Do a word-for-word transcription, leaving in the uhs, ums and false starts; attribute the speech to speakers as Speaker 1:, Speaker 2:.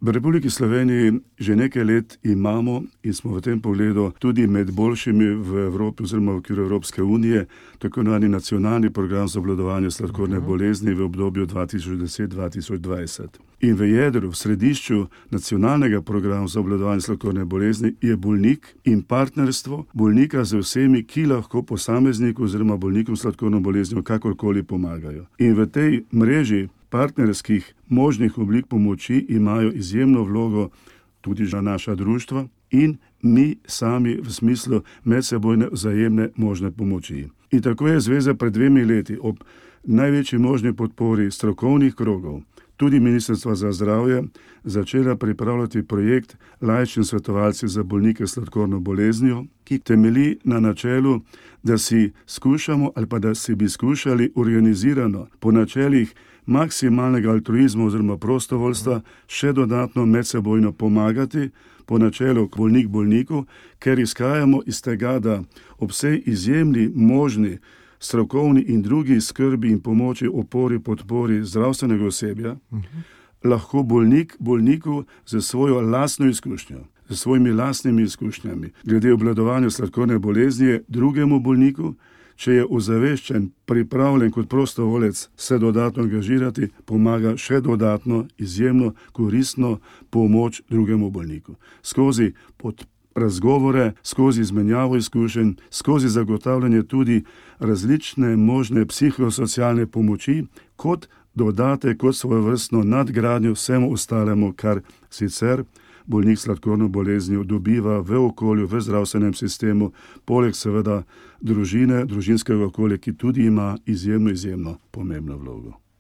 Speaker 1: V Republiki Sloveniji že nekaj let imamo in smo v tem pogledu tudi med boljšimi v Evropi oziroma v okviru Evropske unije, tako imenovani nacionalni program za obvladovanje sladkorne bolezni v obdobju dva tisoč deset do dva tisoč dvajset. In v jedru, v središču nacionalnega programa za obvladovanje sladkorne bolezni je bolnik in partnerstvo bolnika z vsemi, ki lahko posamezniku oziroma bolnikom s sladkorno boleznijo kakorkoli pomagajo. In v tej mreži partnerskih možnih oblik pomoči imajo izjemno vlogo tudi za naša društva in mi sami v smislu medsebojne vzajemne možne pomoči. In tako je zveza pred dvemi leti ob največji možni podpori strokovnih krogov, tudi Ministrstva za zdravje, začela pripravljati projekt Laični svetovalci za bolnike s sladkorno boleznijo, ki temelji na načelu, da si skušamo ali pa da si bi skušali organizirano po načelih maksimalnega altruizma oziroma prostovoljstva še dodatno medsebojno pomagati po načelu bolnik bolniku, ker izhajamo iz tega, da ob vsej izjemni možni strokovni in drugi skrbi in pomoči, opori, podpori zdravstvenega osebja, uh-huh. lahko bolnik bolniku za svojo lastno izkušnjo, za svojimi lastnimi izkušnjami, glede obvladovanja sladkorne bolezni drugemu bolniku, če je ozaveščen, pripravljen kot prostovoljec se dodatno angažirati, pomaga še dodatno, izjemno koristno pomoč drugemu bolniku. Skozi pod razgovore, skozi izmenjavo izkušenj, skozi zagotavljanje tudi različne možne psihosocialne pomoči, kot dodate, kot svojevrstno nadgradnjo vsemu ostalemu, kar sicer bolnik s sladkorno boleznijo dobiva v okolju, v zdravstvenem sistemu, poleg seveda družine, družinskega okolja, ki tudi ima izjemno, izjemno pomembno vlogo.